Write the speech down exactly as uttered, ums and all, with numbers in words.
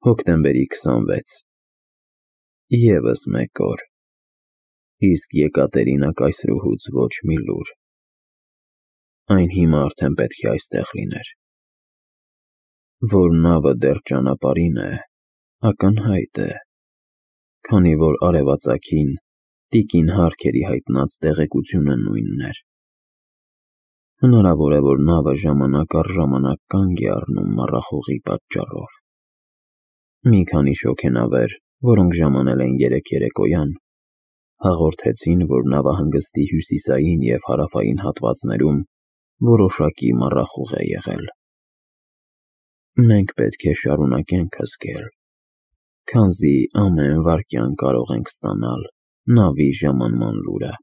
Հոկտեմբերի քսանվեց Եվս մեկ օր, իսկ Եկատերինա կայսրուհուց ոչ մի լուր։ Այն հիմա արդեն պետք է այստեղ լիներ։ Որ նավը դեռ ճանապարհին է, ակնհայտ է, քանի որ արևածագին տիկին Հարքերի հայտնած տեղեկությունը նույնն էր։ Հնարավոր է, որ նավը ժամանակ առ ժամանակ կանգ է առնում մառախուղի պատճառով։ Մի քանի շոգենավեր, որոնք ժամանել էին երեկ երեկոյան, հաղորդեցին, որ նավահանգստի հյուսիսային և հարավային հատվածներում որոշակի մառախուղ է եղել։ Մենք պետք է շարունակենք հսկել, քանզի ամեն վայրկյան կարող ենք ստանալ նավի ժամանման լուրը։